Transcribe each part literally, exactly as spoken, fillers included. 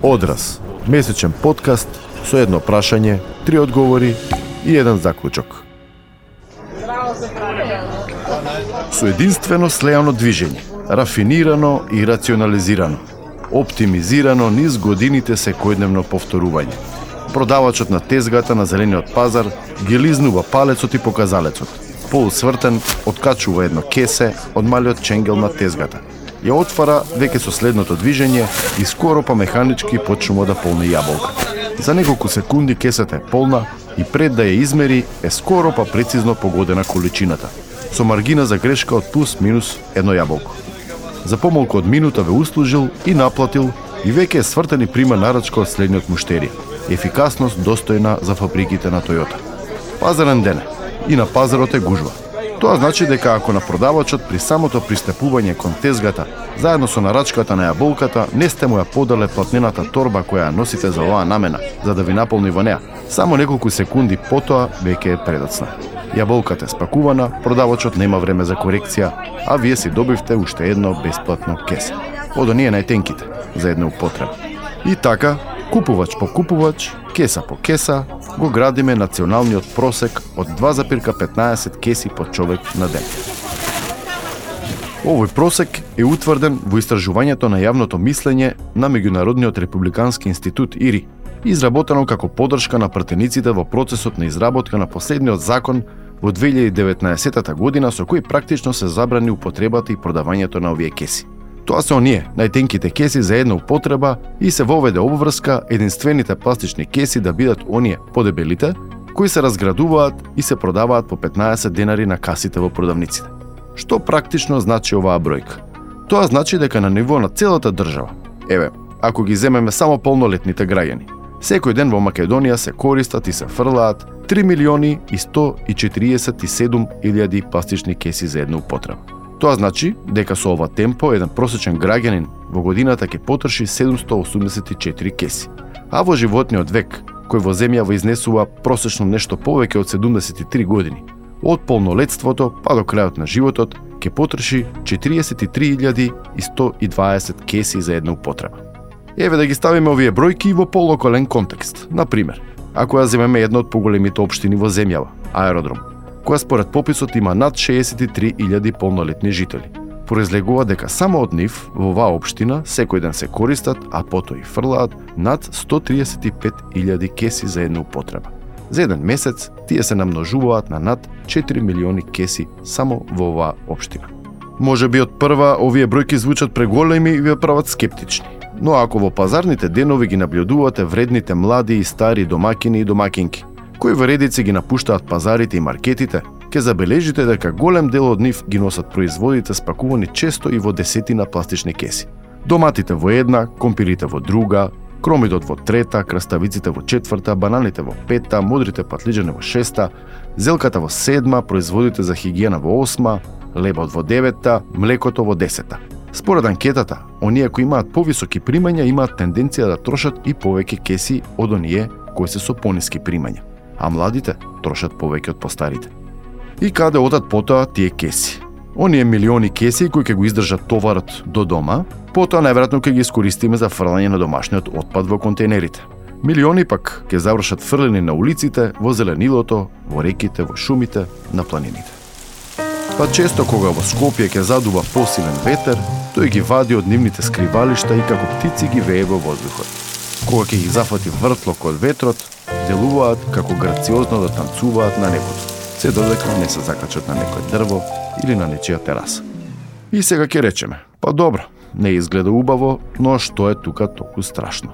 Одраз, месечен подкаст со едно прашање, три одговори и еден заклучок. Со единствено слејано движење, рафинирано и рационализирано, оптимизирано низ годините секојдневно повторување. Продавачот на тезгата на зелениот пазар ги лизнува палецот и показалецот. Полусвртен, откачува едно кесе од малиот ченгел на тезгата. Ја отвара веќе со следното движење и скоро па механички почнува да полни јаболка. За неколку секунди кесата е полна и пред да ја измери е скоро па прецизно погодена количината, со маргина за грешка од плюс-минус едно јаболко. За помалку од минута ве услужил и наплатил и веќе е свртен и прима нарачка од следниот муштери. Ефикасност достојна за фабриките на Тојота. Пазарен ден и на пазарот е гужва. Тоа значи дека ако на продавачот при самото пристапување кон тезгата, заедно со нарачката на јаболката, не сте му ја подале платнената торба која ја носите за оваа намена, за да ви наполни во неа, само неколку секунди потоа веќе е предоцна. Јаболката е спакувана, продавачот нема време за корекција, а вие си добивте уште едно бесплатно кесе. Од оние најтенките, за една употреба. И така, купувач по купувач, кеса по кеса, го градиме националниот просек од два запирка петнаесет кеси по човек на ден. Овој просек е утврден во истражувањето на јавното мислење на Меѓународниот републикански институт ИРИ, изработено како подршка на пратениците во процесот на изработка на последниот закон во две илјади и деветнаесетта година со кој практично се забрани употребата и продавањето на овие кеси. Тоа се оние, најтенките кеси за една употреба и се воведе обврска единствените пластични кеси да бидат оние подебелите, кои се разградуваат и се продаваат по петнаесет денари на касите во продавниците. Што практично значи оваа бројка? Тоа значи дека на ниво на целата држава, еве, ако ги земеме само полнолетните граѓани, секој ден во Македонија се користат и се фрлаат три милиони и сто и четириесет и седум илјади пластични кеси за една употреба. Тоа значи дека со ова темпо еден просечен граѓанин во годината ќе потроши седумсто осумдесет и четири кеси, а во животниот век, кој во земјава изнесува просечно нешто повеќе од седумдесет и три години, од полнолетството па до крајот на животот ќе потроши четириесет и три илјади и сто и дваесет кеси за една употреба. Еве да ги ставиме овие бројки во полокален контекст. Например, ако ја земеме една од поголемите општини во земјава, Аеродром, која според пописот има над шеесет и три илјади полнолетни жители. Произлегува дека само од нив во оваа општина секој ден се користат, а потоа и фрлаат над сто триесет и пет илјади кеси за една употреба. За еден месец тие се намножуваат на над четири милиони кеси само во оваа општина. Може би од прва овие бројки звучат преголеми и ве прават скептични, но ако во пазарните денови ги наблюдувате вредните млади и стари домакини и домакинки, кои во редици ги напуштаат пазарите и маркетите, ќе забележите дека голем дел од нив ги носат производите спакувани често и во десетина пластични кеси. Доматите во една, компирите во друга, кромидот во трета, краставиците во четврта, бананите во петта, мудрите патлиџани во шеста, зелката во седма, производите за хигиена во осма, лебот во деветта, млекото во десетта. Според анкетата, оние кои имаат повисоки примања имаат тенденција да трошат и повеќе кеси од оние кои се со пониски примања, а младите трошат повеќе од постарите. И каде одат потоа тие кеси? Оние милиони кеси кои ќе го издржат товарот до дома, потоа најверојатно ќе ги искористиме за фрлање на домашниот отпад во контейнерите. Милиони пак ќе завршат фрлени на улиците, во зеленилото, во реките, во шумите, на планините. Па често кога во Скопје ќе задува посилен ветер, тој ги вади од нивните скривалишта и како птици ги вее во воздухот. Кога ќе ги зафати вртлок од ветрот, делуваат како грациозно да танцуваат на небото, се додека не се закачат на некој дрво или на нечија тераса. И сега ќе речеме, па добро, не изгледа убаво, но што е тука толку страшно?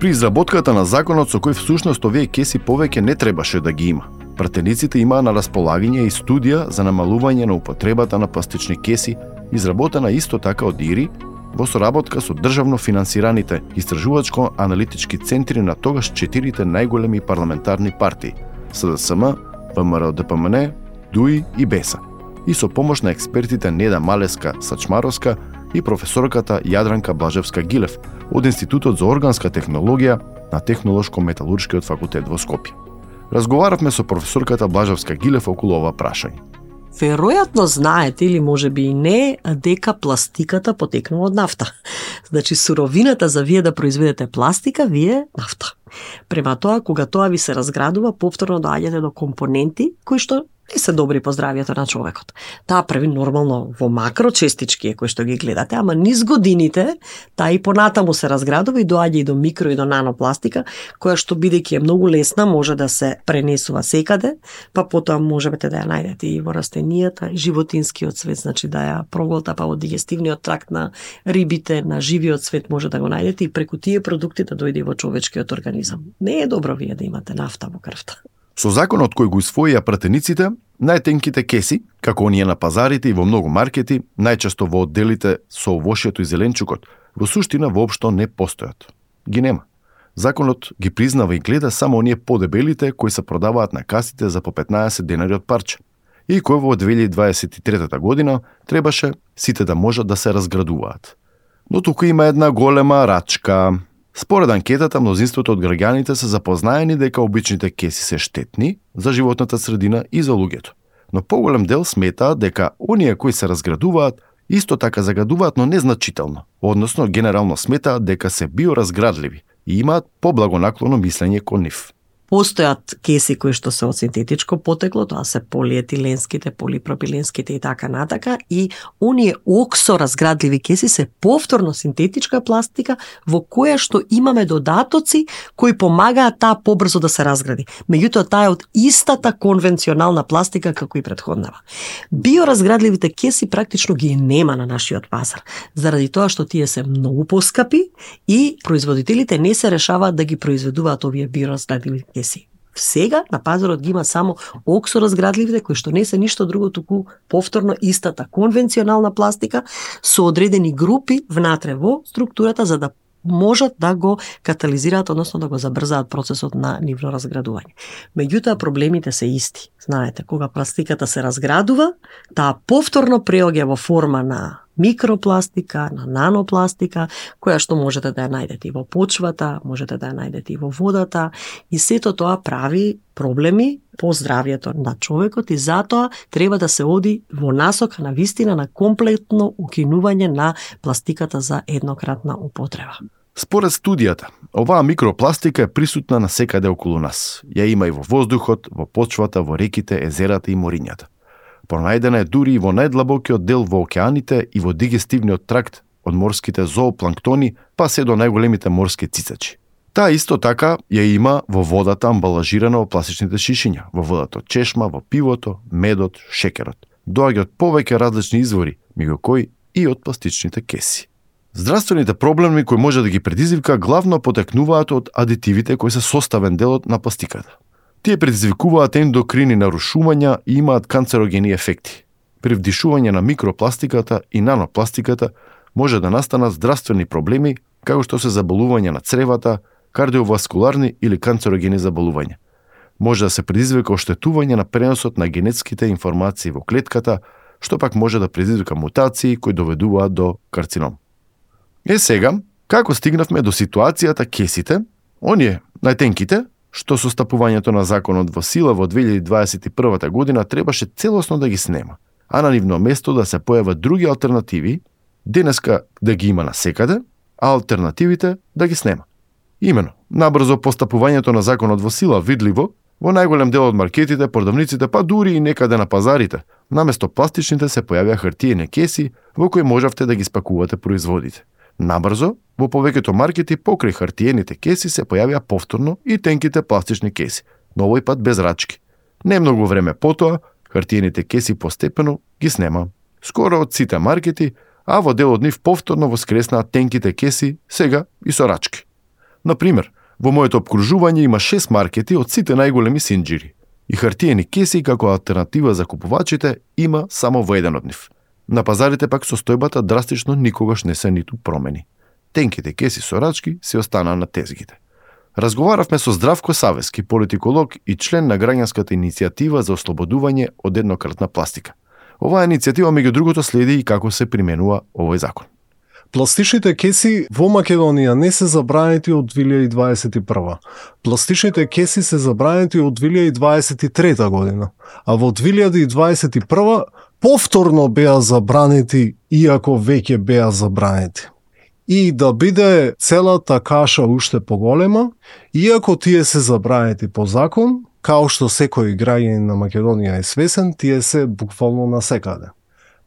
При изработката на законот со кој всушност овие кеси повеќе не требаше да ги има, пратениците имаа на располагање и студија за намалување на употребата на пластични кеси, изработена исто така од ИРИ, во соработка со државно финансираните истражувачко-аналитички центри на тогаш четирите најголеми парламентарни партии СДСМ, ВМРО ДПМН, ДУИ и БЕСА, и со помош на експертите Неда Малеска Сачмаровска и професорката Јадранка Блажевска-Гилев од Институтот за органска технологија на Технолошко-металуршкиот факултет во Скопје. Разговаравме со професорката Блажевска-Гилев околу ова прашање. Веројатно знаете или можеби и не дека пластиката потекнува од нафта. Значи суровината за вие да произведете пластика вие е нафта. Према тоа, кога тоа ви се разградува, повторно доаѓате до компоненти кои што не се добри по здравието на човекот. Таа прави нормално во макрочестички кои што ги гледате, ама низ годините таа и понатаму се разградува и доаѓа и до микро и до нанопластика, која што бидејќи е многу лесна може да се пренесува секаде, па потоа можете да ја најдете и во растенијата, и животинскиот свет, значи да ја проголта па во дигестивниот тракт на рибите, на живиот свет може да го најдете и преку тие продукти да дојде во човечкиот организам. Не е добро вие да имате нафта во крвта. Со законот кој го усвоија пратениците, најтенките кеси, како оние на пазарите и во многу маркети, најчесто во одделите со овошјето и зеленчукот, во суштина воопшто не постојат. Ги нема. Законот ги признава и гледа само оние подебелите кои се продаваат на касите за по петнаесет денари од парче. И кои во две илјади дваесет и трета година требаше сите да можат да се разградуваат. Но тука има една голема рачка. Според анкетата, мнозинството од граѓаните се запознаени дека обичните кеси се штетни за животната средина и за луѓето. Но поголем дел сметаат дека оние кои се разградуваат исто така загадуваат, но незначително. Односно, генерално сметаат дека се биоразградливи и имаат поблагонаклоно мислење кон нив. Постојат кеси кои што се од синтетичко потекло, тоа се полиетиленските, полипропиленските и така натака, и оние оксоразградливи кеси се повторно синтетичка пластика во која што имаме додатоци кои помагаат таа побрзо да се разгради. Меѓутоа таа е од истата конвенционална пластика како и претходнава. Биоразградливите кеси практично ги нема на нашиот пазар, заради тоа што тие се многу поскапи и производителите не се решаваат да ги произведуваат овие биоразградливи кеси. Сега на пазарот ги има само оксоразградливите кои што не се ништо друго туку повторно истата конвенционална пластика со одредени групи внатре во структурата за да можат да го катализираат, односно да го забрзаат процесот на нивно разградување. Меѓутоа проблемите се исти. Знаете, кога пластиката се разградува, таа повторно преоѓа во форма на микропластика, на нанопластика, која што можете да ја најдете и во почвата, можете да ја најдете и во водата, и сето тоа прави проблеми по здравието на човекот и затоа треба да се оди во насока на вистина на комплетно укинување на пластиката за еднократна употреба. Според студијата, оваа микропластика е присутна на секаде околу нас. Ја има и во воздухот, во почвата, во реките, езерата и морињата. Пронајдена е дури и во најдлабокиот дел во океаните и во дигестивниот тракт од морските зоопланктони па се до најголемите морски цицачи. Таа исто така ја има во водата амбалажирана во пластичните шишиња, во водата од чешма, во пивото, медот, шекерот. Доаѓа од повеќе различни извори, меѓу кои и од пластичните кеси. Здравствените проблеми кои може да ги предизвика главно потекнуваат од адитивите кои се составен дел од на пластиката. Тие предизвикуваат ендокрини нарушувања и имаат канцерогени ефекти. При вдишување на микропластиката и нанопластиката може да настанат здравствени проблеми, како што се заболување на цревата, кардиоваскуларни или канцерогени заболувања. Може да се предизвика оштетување на преносот на генетските информации во клетката, што пак може да предизвика мутации кои доведуваат до карцином. Е сега, како стигнавме до ситуацијата кесите, оние најтенките, што со стапувањето на законот во сила во две илјади дваесет и прва година требаше целосно да ги снема, а на нивно место да се појават други алтернативи, денеска да ги има насекаде, а алтернативите да ги снема. Имено, набрзо по стапувањето на законот во сила видливо, во најголем дел од маркетите, продавниците, па дури и некаде на пазарите, наместо пластичните се појавија хартиени кеси во кои можавте да ги спакувате производите. Набрзо, во повеќето маркети покрај хартиените кеси се појавија повторно и тенките пластични кеси, но овој пат без рачки. Не многу време потоа, хартиените кеси постепено ги снема. Скоро од сите маркети, а во дел од нив повторно воскреснаат тенките кеси, сега и со рачки. Например, во моето обкружување има шест маркети од сите најголеми синџири. И хартиени кеси како алтернатива за купувачите има само во еден од нив. На пазарите пак состојбата драстично никогаш не се ниту промени. Тенките кеси со рачки се останаа на тезгите. Разговаравме со Здравко Савески, политиколог и член на граѓанската иницијатива за ослободување од еднократна пластика. Оваа иницијатива меѓу другото следи и како се применува овој закон. Пластичните кеси во Македонија не се забранети од две илјади дваесет и прва. Пластичните кеси се забранети од две илјади дваесет и трета година, а во две илјади дваесет и прва повторно беа забранети, иако веќе беа забранети. И да биде целата каша уште поголема, иако тие се забранети по закон, као што секој граѓанин на Македонија е свесен, тие се буквално насекаде.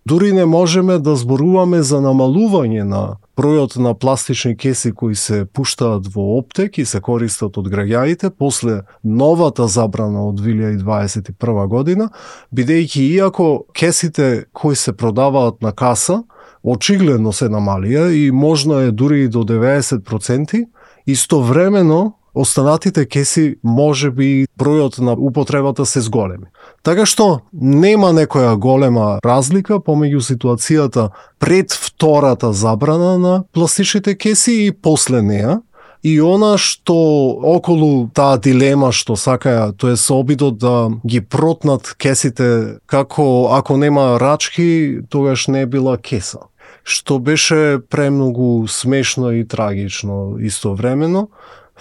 Дури не можеме да зборуваме за намалување на бројот на пластични кеси кои се пуштаат во оптек и се користат од граѓаните после новата забрана од две илјади дваесет и прва година, бидејќи иако кесите кои се продаваат на каса очигледно се намалија и можно е дури и до деветдесет проценти, истовремено останатите кеси може би бројот на употребата се зголеми. Така што нема некоја голема разлика помеѓу ситуацијата пред втората забрана на пластичните кеси и после неа. И она што околу таа дилема што сакаја, тоа е со обидот да ги протнат кесите како ако нема рачки, тогаш не била кеса. Што беше премногу смешно и трагично истовремено.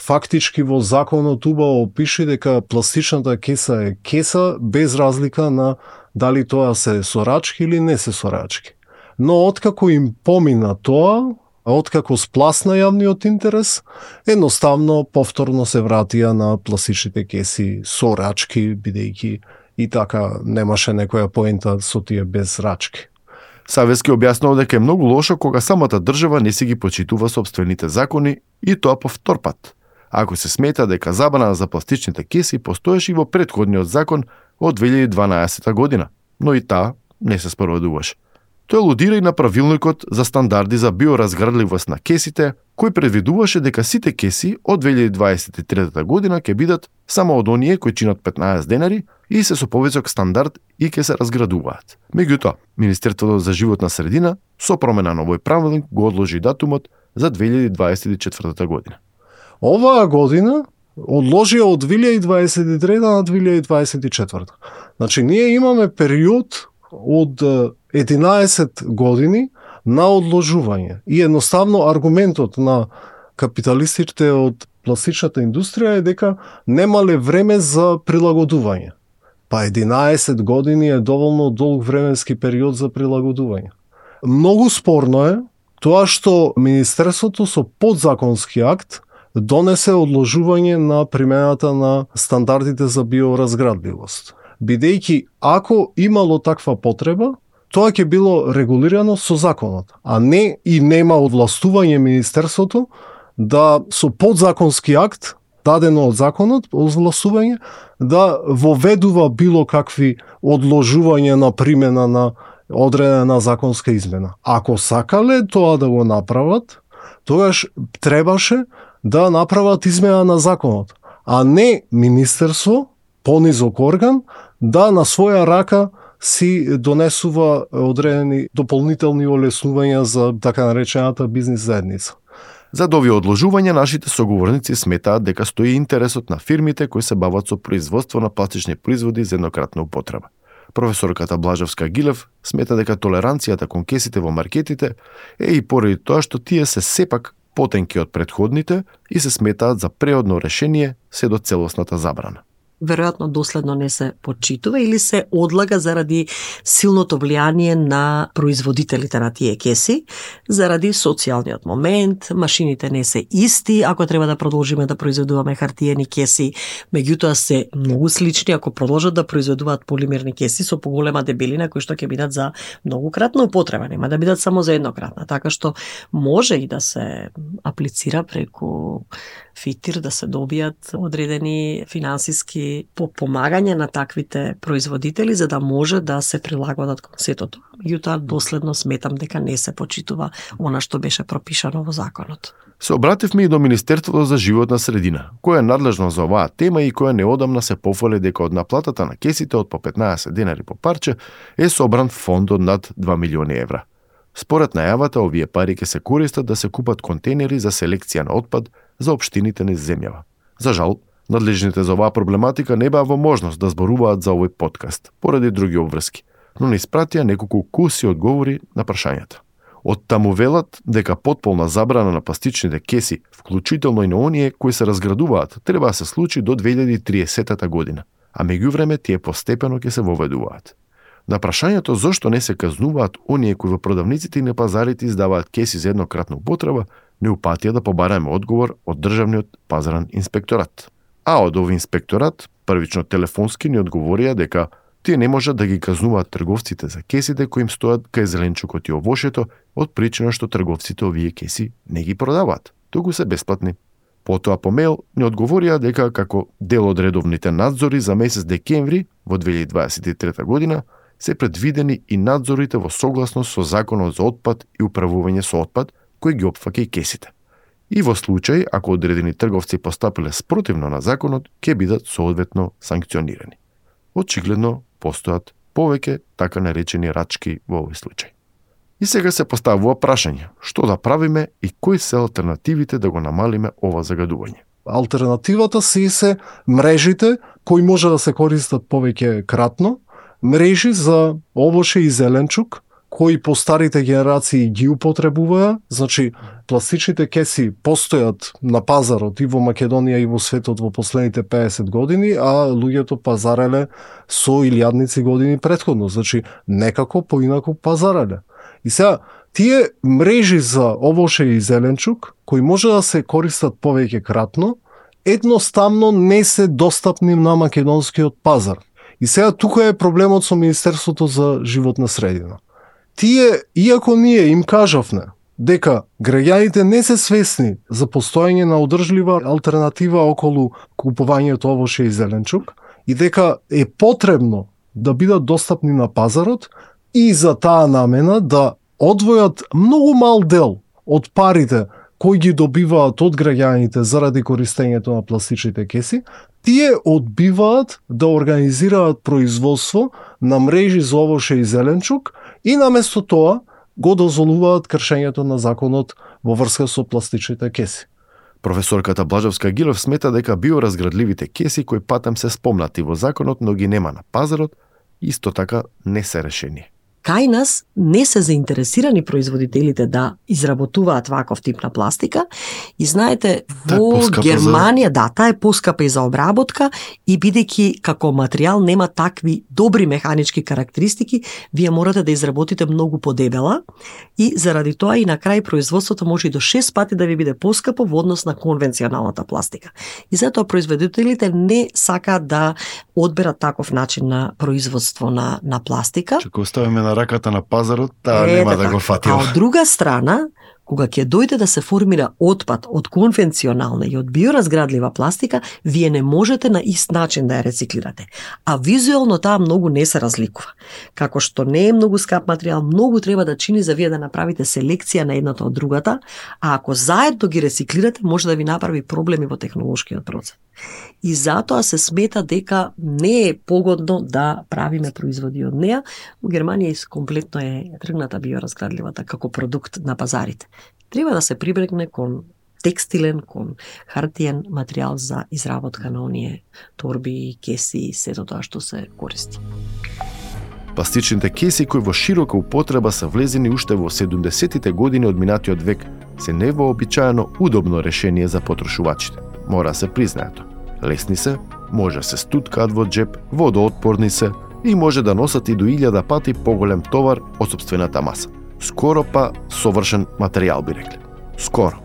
Фактички во законот убаво пише дека пластичната кеса е кеса без разлика на дали тоа се сорачки или не се сорачки. Но откако им помина тоа, откако спласна јавниот интерес, едноставно повторно се вратија на пластичните кеси со рачки, бидејќи и така немаше некоја поента со тие без рачки. Савески објаснува дека е многу лошо кога самата држава не си ги почитува собствените закони и тоа по втор пат. Ако се смета дека забрана за пластичните кеси постоеше и во претходниот закон од две илјади и дванаесета година, но и таа не се спроведуваше. Тој алудира и на правилникот за стандарди за биоразградливост на кесите, кој предвидуваше дека сите кеси од две илјади дваесет и трета година ќе бидат само од оние кои чинат петнаесет денари и се со повисок стандард и ќе се разградуваат. Меѓутоа, Министерството за животна средина со промена на овој правилник го одложи датумот за две илјади дваесет и четврта година. Оваа година одложија од две илјади дваесет и трета на две илјади дваесет и четврта. Значи, ние имаме период од единаесет години на одложување. И едноставно аргументот на капиталистите од пластичната индустрија е дека немале време за прилагодување. Па единаесет години е доволно долг временски период за прилагодување. Многу спорно е тоа што Министерството со подзаконски акт донесе одложување на примената на стандардите за биоразградливост. Бидејќи ако имало таква потреба, тоа ќе било регулирано со законот, а не и нема овластување Министерството да со подзаконски акт, дадено од законот, овластување, да воведува било какви одложување на примена на одредена законска измена. Ако сакале тоа да го направат, тогаш требаше да направат измена на законот, а не Министерство, понизок орган, да на своја рака си донесува одредени дополнителни олеснувања за така наречената бизнис заедница. За овие одложувања нашите соговорници сметаат дека стои интересот на фирмите кои се бават со производство на пластични производи за еднократна употреба. Професорката Блажевска Гилев смета дека толеранцијата кон кесите во маркетите е и поради тоа што тие се сепак потенки од претходните и се сметаат за преодно решение се до целосната забрана. Веројатно доследно не се почитува или се одлага заради силното влијание на производителите на тие кеси, заради социјалниот момент, машините не се исти, ако треба да продолжиме да произведуваме хартиени кеси, меѓутоа се многу слични ако продолжат да произведуваат полимерни кеси со поголема дебелина кои што ќе бидат за многукратна употреба, нема да бидат само за еднократна, така што може и да се аплицира преку фитир да се добијат одредени финансиски помагање на таквите производители за да може да се прилагодат кон сето тоа. Меѓутоа доследно сметам дека не се почитува она што беше пропишано во законот. Се обративме и до Министерството за животна средина, кое е надлежно за оваа тема и кое неодамна се пофали дека од наплатата на кесите од по петнаесет денари по парче е собран фонд од над два милиони евра. Според најавата, овие пари ќе се користат да се купат контейнери за селекција на отпад за општините низ земјава. За жал, надлежните за оваа проблематика не беа во можност да зборуваат за овој подкаст, поради други обврски, но ни испратија неколку куси одговори на прашањата. Од таму велат дека потполна забрана на пластичните кеси, вклучително и на оние кои се разградуваат, треба да се случи до две илјади и триесета година, а меѓувреме тие постепено ќе се воведуваат. На прашањето зошто не се казнуваат оние кои во продавниците и на пазарите издаваат кеси за еднократна употреба, не упатија да побараме одговор од Државниот пазарен инспекторат. А од овој инспекторат, првично телефонски ни одговорија дека тие не можат да ги казнуваат трговците за кесите кои им стојат кај зеленчукот и овошето од причина што трговците овие кеси не ги продаваат, туку се бесплатни. Потоа по мејл ни одговорија дека како дел од редовните надзори за месец декември во две илјади дваесет и трета година се предвидени и надзорите во согласност со Законот за отпад и управување со отпад кој ги опфаќа и кесите. И во случај, ако одредени трговци постапиле спротивно на законот, ќе бидат соодветно санкционирани. Очигледно, постојат повеќе така наречени рачки во овој случај. И сега се поставува прашање, што да правиме и кои се алтернативите да го намалиме ова загадување. Алтернативата си се мрежите кои може да се користат повеќе кратно, мрежи за овоше и зеленчук, кои по старите генерации ги употребуваја, значи пластичните кеси постојат на пазарот и во Македонија и во светот во последните педесет години, а луѓето пазареле со илјадници години претходно, значи некако поинаку пазареле. И сега, тие мрежи за овоше и зеленчук, кои може да се користат повеќе кратно, едноставно не се достапни на македонскиот пазар. И сега тука е проблемот со Министерството за животна средина. Тие, иако ние им кажавме дека граѓаните не се свесни за постоење на одржлива алтернатива околу купувањето овоше и зеленчук и дека е потребно да бидат достапни на пазарот и за таа намена да одвојат многу мал дел од парите кои ги добиваат од граѓаните заради користењето на пластичните кеси, тие одбиваат да организираат производство на мрежи за овоше и зеленчук и наместо тоа го дозволуваат кршењето на законот во врска со пластичните кеси. Професорката Блажевска Гилев смета дека биоразградливите кеси кои патем се спомнати во законот, но ги нема на пазарот, исто така не се решение. Кај нас не се заинтересирани производителите да изработуваат ваков тип на пластика и знаете, во Германија, за... да, таа е поскапа и за обработка и бидејќи како материјал нема такви добри механички карактеристики, вие морате да изработите многу подебела и заради тоа и на крај производството може и до шест пати да ви биде поскапо во однос на конвенционалната пластика. И затоа производителите не сакаат да одберат таков начин на производство на, на пластика. Чека оставиме на раката на пазарот, таа е, нема да го фатиме. А од друга страна, кога ќе дојде да се формира отпад од конвенционална и од биоразградлива пластика, вие не можете на ист начин да ја рециклирате. А визуелно таа многу не се разликува. Како што не е многу скап материјал, многу треба да чини за вие да направите селекција на едната од другата, а ако заедно ги рециклирате, може да ви направи проблеми во технолошкиот процес. И затоа се смета дека не е погодно да правиме производи од неа. Во Германија комплетно е тргната биоразградливата како продукт на пазарите. Треба да се прибегне кон текстилен, кон хартиен материјал за изработка на оние торби, кеси и сето тоа што се користи. Пластичните кеси кои во широка употреба се влезени уште во седумдесетите години од минатиот век се невообичаено удобно решение за потрошувачите. Мора се признаето. Лесни се, може се стуткаат во джеп, водоотпорни се и може да носат и до илјада пати поголем товар од сопствената маса. Скоро па совршен материјал би рекле. Скоро.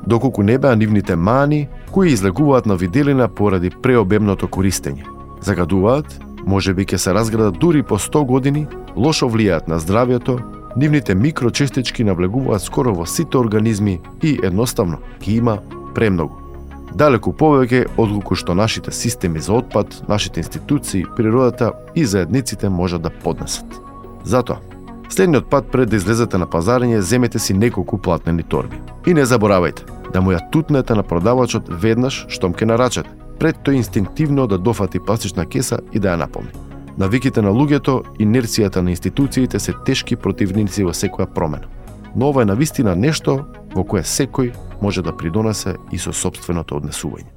Доколку не беа нивните мани кои излегуваат на виделина поради преобемното користење. Загадуваат, може би ќе се разградат дури по сто години, лошо влијаат на здравјето, нивните микрочестички навлегуваат скоро во сите организми и едноставно ги има премногу. Далеку повеќе отколку што нашите системи за отпад, нашите институции, природата и заедниците можат да поднесат. Затоа, следниот пат пред да излезете на пазарење, земете си неколку платнени торби. И не заборавајте да му ја тутнете на продавачот веднаш штом ке нарачате, пред тој инстинктивно да дофати пластична кеса и да ја наполни. Навиките на луѓето, инерцијата на институциите се тешки противници во секоја промена. Но ова е навистина нешто во кое секој може да придонесе и со сопственото однесување.